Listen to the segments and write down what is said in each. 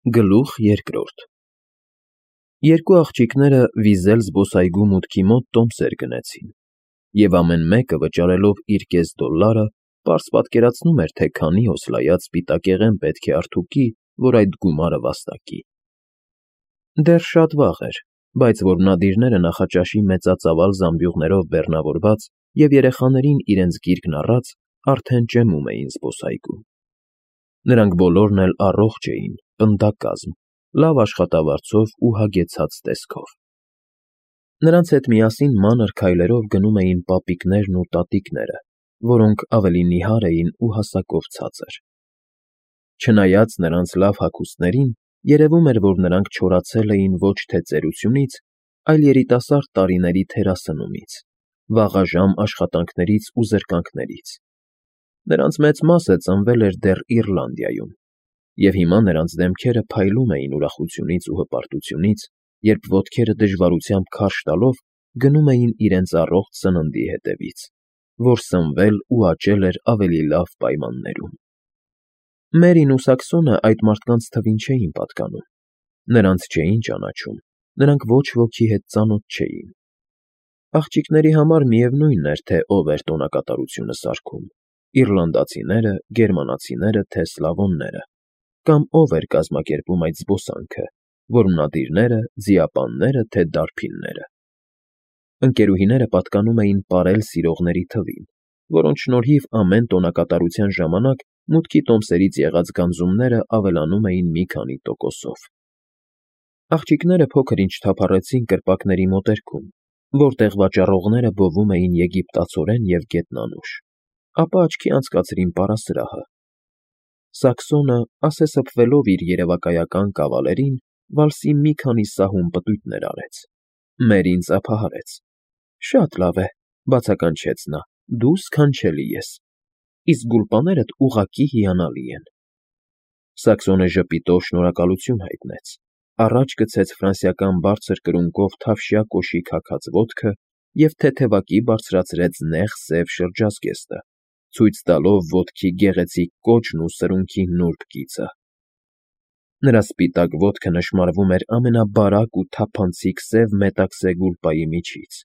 Գլուխ երկրորդ Երկու աղջիկները վիզել զբոսայգու մուտքի մոտ տոմսեր գնեցին, և ամեն մեկը վճարելով իր կես դոլլարը, պարզ պատկերացնում էր, թե քանի օսլայած սպիտակեղեն պետք է արդուկի, որ այդ գումարը վաստակի։ Դեռ շատ վաղ էր, բայց որմնադիրները նախաճաշի մեծածավալ զամբյուղներով բեռնավորված և երեխաներին իրենց գիրկն առած արդեն ճեմում էին զբոսայգում։ Նրանք բոլորն էլ առողջ էին, պնդակազմ, լավ աշխատավարձով ու հագեցած տեսքով։ Նրանց հետ միասին մանր քայլերով գնում էին պապիկներն ու տատիկները, որոնք ավելի նիհար էին ու հասակով ցածր։ Չնայած նրանց լավ հագուստներին, երևում էր, որ նրանք չորացել էին ոչ թե ծերությունից, այլ երիտասարդ տարիների թերասնումից, վաղաժամ աշխատանքներից ու զրկանքներից։ Նրանց մեծ մասը ծնվել էր դեռ Իռլանդիայում, և հիմա նրանց դեմքերը փայլում էին ուրախությունից ու հպարտությունից, երբ ոտքերը դժվարությամբ քարշ տալով գնում էին իրենց առողջ սննդի հետևից, որ սնվել ու աճել էր ավելի լավ պայմաններում։ Մերին ու Սաքսոնը այդ մարդկանց թվին չէին պատկանում, նրանց չէին ճանաչում, նրանք ոչ ոքի հետ ծանոթ չէին։ Աղջիկների համար միևնույն էր, թե ով էր տոնակատարությունը սարքում՝ իռլանդացիները, գերմանացիները, թե սլավոնները, կամ ով էր կազմակերպում այդ զբոսանքը՝ որմնադիրները, ձիապանները, թե դարբինները։ Ընկերուհիները պատկանում էին պարել սիրողների թվին, որոնց շնորհիվ ամեն տոնակատարության ժամանակ մուտքի տոմսերից եղած գանձումները ավելանում էին մի քանի տոկոսով։ Աղջիկները փոքր-ինչ թափառեցին կրպակների մոտերքում, որտեղ վաճառողները բովում էին եգիպտացորեն և գետնանուշ, ապա աչքի անցկացրին պարասրահը։ Սաքսոնը, ասեսփվելով իր երևակայական կավալերին, վալսի մի քանի սահուն պտույտներ արեց։ Մերին ծափահարեց։ Շատ լավ է, բացականչեց նա, դու սքանչելի ես, իսկ գուլպաներդ ուղղակի հիանալի են։ Սաքսոնը ժպիտով շնորհակալություն հայտնեց, առաջ գցեց ֆրանսիական բարձր կրունկով թավշյա կոշիկ հագած ոտքը և թեթևակի բարձրացրեց նեղ սև շրջազգեստը, ցույց տալով ոտքի գեղեցիկ կոճն ու սրունքի նուրբ կիցը։ Նրա սպիտակ ոտքը նշմարվում էր ամենաբարակ ու թափանցիկ սև մետաքսե գուլպայի միջից,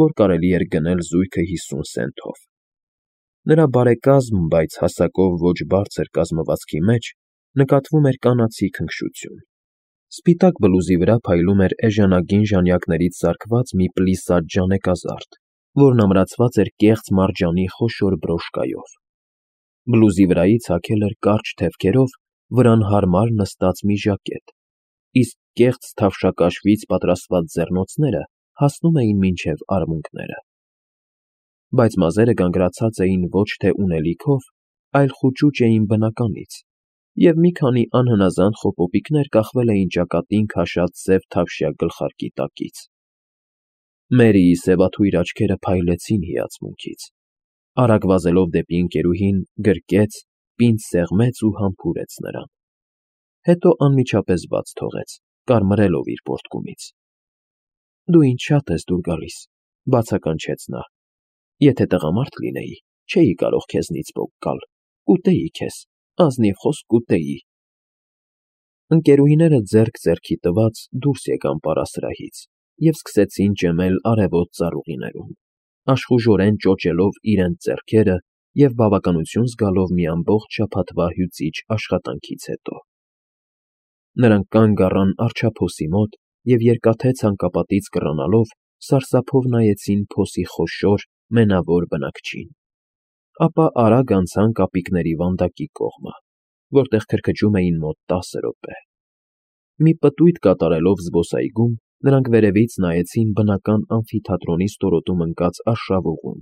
որ կարելի էր գնել զույգը 50 սենթով։ Նրա բարեկազմ, բայց հասակով ոչ բարձր կազմվածքի մեջ նկատվում էր կանացի քնքշություն։ Սպիտակ բլուզի վրա փայլում էր էժանագին ժանյակներից սարքված մի պլիսադ ժանեկազարդ, որն ամրացված էր կեղծ մարջանի խոշոր բրոշկայով։ Բլուզի վրայից հագել էր կարճ թևքերով վրան հարմար նստած մի ժակետ, իսկ կեղծ թավշակաշվից պատրաստված ձեռնոցները հասնում էին մինչև արմունկները։ Բայց մազերը գանգրացած էին ոչ թե ունելիքով, այլ խուճուճ էին բնականից, և մի քանի անհնազանդ խոպոպիկներ կախվել էին ճակատին քաշած սև թավշյա գլխարկի տակից։ Մերիի սևաթույր աչքերը փայլեցին հիացմունքից։ Արագ վազելով դեպի ընկերուհին, գրկեց, պինդ սեղմեց ու համբուրեց նրան։ Հետո անմիջապես բաց թողեց, կարմրելով իր պոռթկումից։ Դու ինձ շատ ես դուր գալիս, բացականչեց նա։ Եթե տղամարդ լինեի, չէի կարող քեզնից պոկ գալ, կուտեի քեզ, ազնիվ խոսք կուտեի։ Ընկերուհիները ձեռք ձեռքի տված դուրս եկան պարասրահից և սկսեցին ճեմել արևոտ ծառուղիներում, աշխուժորեն ճոճելով իրենց ձեռքերը և բավականություն զգալով մի ամբողջ շաբաթվա հյուծիչ աշխատանքից հետո։ Նրանք կանգ առան առջափոսի մոտ և երկաթե ցանկապատից կռանալով սարսափով նայեցին փոսի խոշոր, մենավոր բնակչին։ Ապա արագ անցան կապիկների վանդակի կողմը, որտեղ քրքջում էին մոտ 10 րոպե։ Մի պտույտ կատարելով զբոսայգում, նրանք վերևից նայեցին բնական ամֆիթատրոնի ստորոտում ընկած արշավուղուն,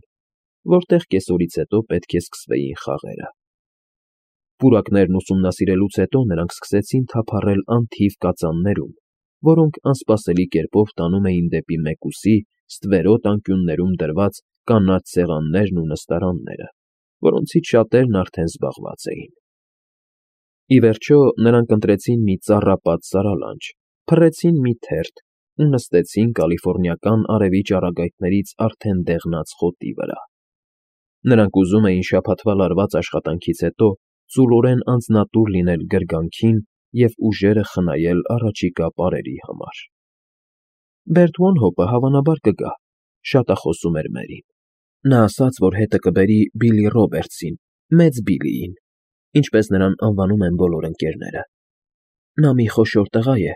որտեղ կեսօրից հետո պետք է սկսվեին խաղերը։ Պուրակներն ուսումնասիրելուց հետո նրանք սկսեցին թափառել անթիվ կածաններում, որոնք անսպասելի կերպով տանում էին դեպի մեկուսի, ստվերոտ անկյուններում դրված կանաչ սեղաններն ու նստարանները, որոնցից շատերն արդեն զբաղված էին։ Ի վերջո նրանք ընտրեցին մի ծառապատ սարալանջ, փռեցին մի թերթ ու նստեցին կալիֆոռնիական արևի ճառագայթներից արդեն դեղնած խոտի վրա։ Նրանք ուզում էին շաբաթվա լարված աշխատանքից հետո ծուլորեն անձնատուր լինել գրգանքին և ուժերը խնայել առաջիկա պարերի համար։ Բերտ Վոնհոփը հավանաբար կգա, շատախոսում էր Մերին։ Նա ասաց, որ հետը կբերի Բիլի Ռոբերտսին, մեծ Բիլիին, ինչպես նրան անվանում են բոլոր ընկերները։ Նա մի խոշոր տղա է,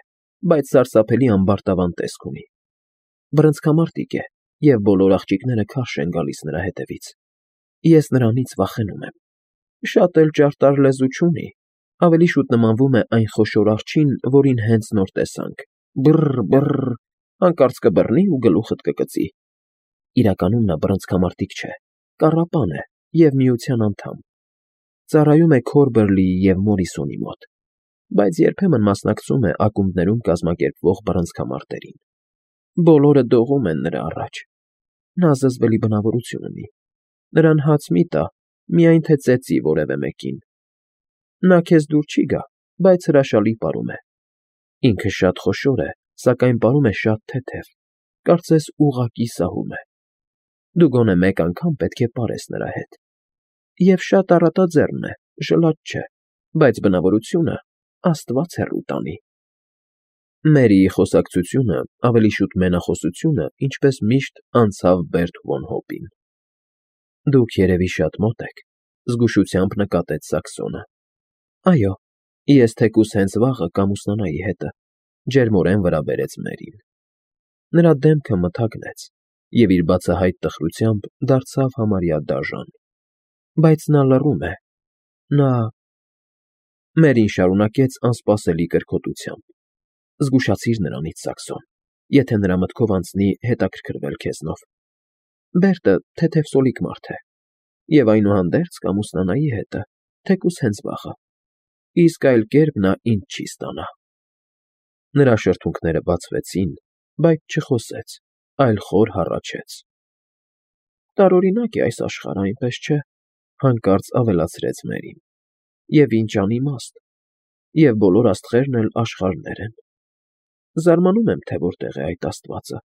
բայց սարսափելի ամբարտավան տեսք ունի։ Բռնցքամարտիկ է, և բոլոր աղջիկները քարշ են գալիս նրա հետևից։ Ես նրանից վախենում եմ։ Շատ էլ ճարտար լեզու չունի, ավելի շուտ նմանվում է այն խոշոր աղջին, որին հենց նոր տեսանք։ Բռ, հանկարծ կբռնի ու գլուխդ կկծի։ Իրականում նա բռնցքամարտիկ չէ, կառապան է և միության անդամ։ Ծառայում է Քորբերլիի և Մորիսոնի մոտ, բայց երբեմն մասնակցում է ակումբներում կազմակերպվող բռնցքամարտերին։ Բոլորը դողում են նրա առաջ։ Նա զզվելի բնավորություն ունի։ Նրան հաց մի տա, միայն թե ծեծի որևէ մեկին։ Նա քեզ դուր չի գա, բայց հրաշալի պարում է։ Ինքը շատ խոշոր է, սակայն պարում է շատ թեթև, կարծես ուղղակի սահում է։ Դու գոնե մեկ անգամ պետք է պարես նրա հետ։ Եվ շատ առատաձեռն է, ժլատ չէ, բայց բնավորությունը Աստված հեռու տանի։ Մերիի խոսակցությունը, ավելի շուտ մենախոսությունը, ինչպես միշտ, անցավ Բերտ Վոնհոփին։ Դուք երևի շատ մոտ եք, զգուշությամբ նկատեց Սաքսոնը։ Այո, ես թեկուզ հենց վաղը կամուսնանայի հետը, ջերմորեն վրա բերեց Մերին։ Նրա դեմքը մթագնեց, և իր բացահայտ տխրությամբ դարձավ համարյա դաժան։ Բայց նա լռում է։ Նա… Մերին շարունակեց անսպասելի կրքոտությամբ. Զգուշացիր նրանից, Սաքսոն, եթե նրա մտքով անցնի հետաքրքրվել քեզնով։ Բերտը թեթև սոլիկ մարդ է, և այնուհանդերձ կամուսնանայի հետը, թեկուզ հենց վաղը, իսկ այլ կերպ նա ինձ չի ստանա։ Նրա շրթունքները բացվեցին, բայց չխոսեց, այլ խոր հառաչեց։ Տարօրինակ է այս աշխարհը, այնպես չէ, հանկարծ ավելացրեց Մերին, և ինչ անիմաստ, և բոլոր աստղերն էլ աշխարհներ են։ Զարմանում եմ, թե որտեղ է այդ աստվածը։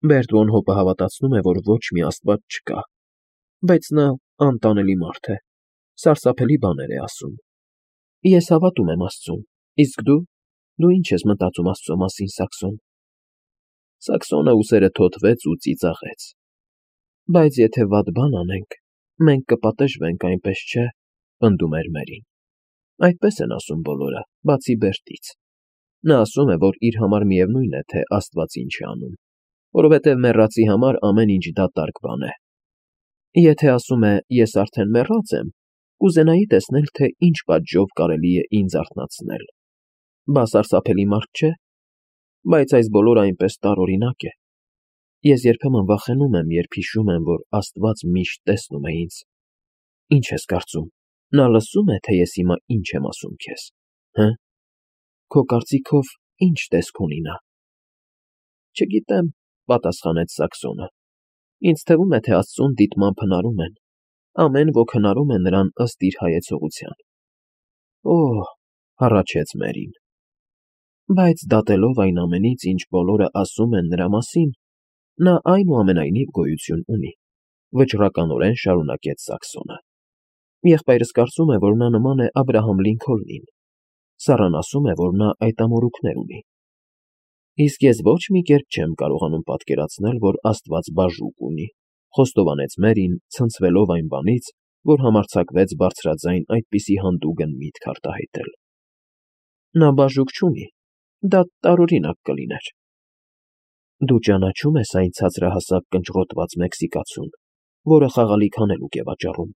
Բերտ Վոնհոփը հավատացնում է, որ ոչ մի աստված չկա, բայց նա անտանելի մարդ է, սարսափելի բաներ է ասում։ Ես հավատում եմ Աստծուն, իսկ դու ինչ ես մտածում Աստծո մասին, Սաքսոն։ Սաքսոնը ուսերը թոթվեց ու ծիծաղեց։ Բայց եթե վատ բան անենք, մենք կպատժվենք, այնպես չէ, պնդում էր Մերին։ Այդպես են ասում բոլորը, բացի Բերտից։ Նա ասում է, որ իր համար միևնույն է, թե Աստված ինչ է անում, որովհետև մեռածի համար ամեն ինչ դատարկ բան է։ Եթե ասում է ես արդեն մեռած եմ, կուզենայի տեսնել, թե ինչ պատժով կարելի է ինձ արթնացնել։ Բա սարսափելի մարդ չէ։ Բայց այս բոլորը այնպես տարօրինակ է։ Ես երբեմն վախենում եմ, երբ հիշում եմ, որ Աստված միշտ տեսնում է ինձ։ Ինչ ես կարծում, նա լսում է, թե ես հիմա ինչ եմ ասում քեզ, հը՞։ Քո կարծիքով ի՞նչ տեսք ունի նա։ Չգիտեմ, պատասխանեց Սաքսոնը։ Ինձ թվում է, թե Աստծուն դիտմամբ հնարում են։ Ամեն ոք հնարում է նրան ըստ իր հայեցողության։ Օհ, հառաչեց Մերին։ Բայց դատելով այն ամենից, ինչ բոլորը ասում են նրա մասին, նա այնուամենայնիվ գոյություն ունի, վճռականորեն շարունակեց Սաքսոնը։ Եղբայրս կարծում է, որ նա նման է Աբրահամ Լինքոլնին։ Սառան ասում է, որ նա այդ ամորուքներ ունի։ Իսկ ես ոչ մի կերպ չեմ կարողանում պատկերացնել, որ Աստված բաժուկ ունի, խոստովանեց Մերին, ցնցվելով այն բանից, որ համարձակվեց բարձրաձայն այդպիսի հանդուգն միտք արտահայտել։ Նա բաժուկ չունի, դա տարօրինակ կլիներ։ Դու ճանաչում ես այն ցածրահասակ կնճռոտված մեքսիկացուն, որը խաղալիք հանելուկ է վաճառում,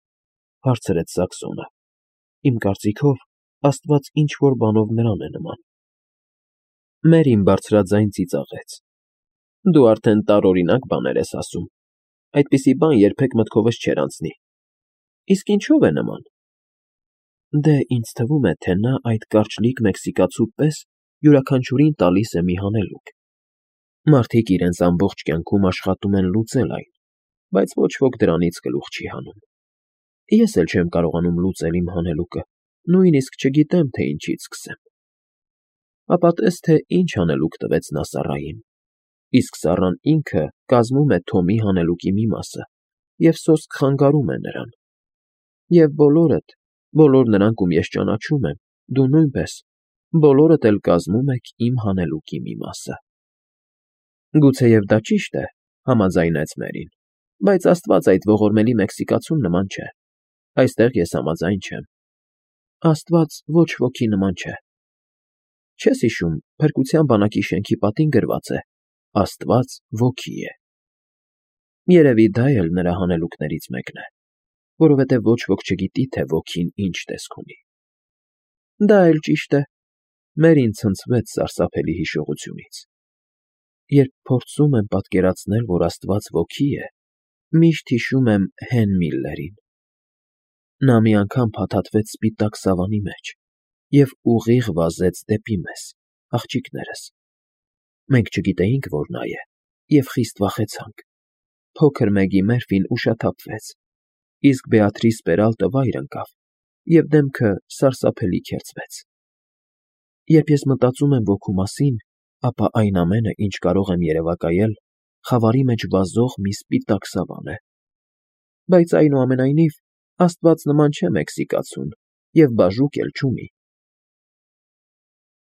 հարցրեց Սաքսոնը։ Իմ կարծիքով, Աստված ինչ-որ բանով նրան է նման։ Մերին բարձրաձայն ծիծաղեց։ Դու արդեն տարօրինակ բաներ ես ասում։ Այդպիսի բան երբեք մտքովս չէր անցնի։ Իսկ ինչով է նման։ Դե ինձ թվում է, թե նա այդ կարճլիկ մեքսիկացու պես յուրաքանչյուրին տալիս է մի հանելուկ։ Մարդիկ իրենց ամբողջ կյանքում աշխատում են լուծել այն, բայց ոչ ոք դրանից գլուխ չի հանում։ Ես էլ չեմ կարողանում լուծել իմ հանելուկը, նույնիսկ չգիտեմ, թե ինչից սկսեմ։ Ապա տես, թե ինչ հանելուկ տվեց նա Սառային։ Իսկ Սառան ինքը կազմում է Թոմի հանելուկի մի մասը և սոսկ խանգարում է նրան։ Եվ բոլորդ, բոլոր նրանք, ում ես ճանաչում եմ, դու նույնպես բոլորդ էլ կազմում եք իմ հանելուկի մի մասը։ Գուցեև դա ճիշտ է, համաձայնեց Մերին, բայց Աստված այդ ողորմելի մեքսիկացուն նման չէ։ Այստեղ ես համաձայն չեմ։ Աստված ոչ ոքի նման չէ։ Չես հիշում, Փրկության բանակի շենքի պատին գրված է. Աստված ոգի է։ Երևի դա էլ նրա հանելուկներից մեկն է, որովհետև ոչ ոք չգիտի, թե ոգին ինչ տեսք ունի։ Դա էլ ճիշտ է։ Մերին ցնցվեց սարսափելի հիշողությունից։ Երբ փորձում եմ պատկերացնել, որ Աստված ոգի է, միշտ հիշում եմ Հեն Միլլերին։ Նա մի անգամ փաթաթվեց սպիտակ սավանի մեջ և ուղիղ վազեց դեպի մեզ, աղջիկներս։ Մենք չգիտեինք, որ նա է, և խիստ վախեցանք։ Փոքր Մեգի Մերֆին ուշաթափվեց, իսկ Բեատրիս Պերալտը վայր ընկավ, և դեմքը սարսափելի քերծվեց։ Երբ ես մտածում եմ ոգու մասին, ապա այն ամենը, ինչ կարող եմ երևակայել, խավարի մեջ վազող մի սպիտակ սավան է։ Բայց այնուամենայնիվ, Աստված նման չէ մեքսիկացուն և բաժուկ էլ չունի։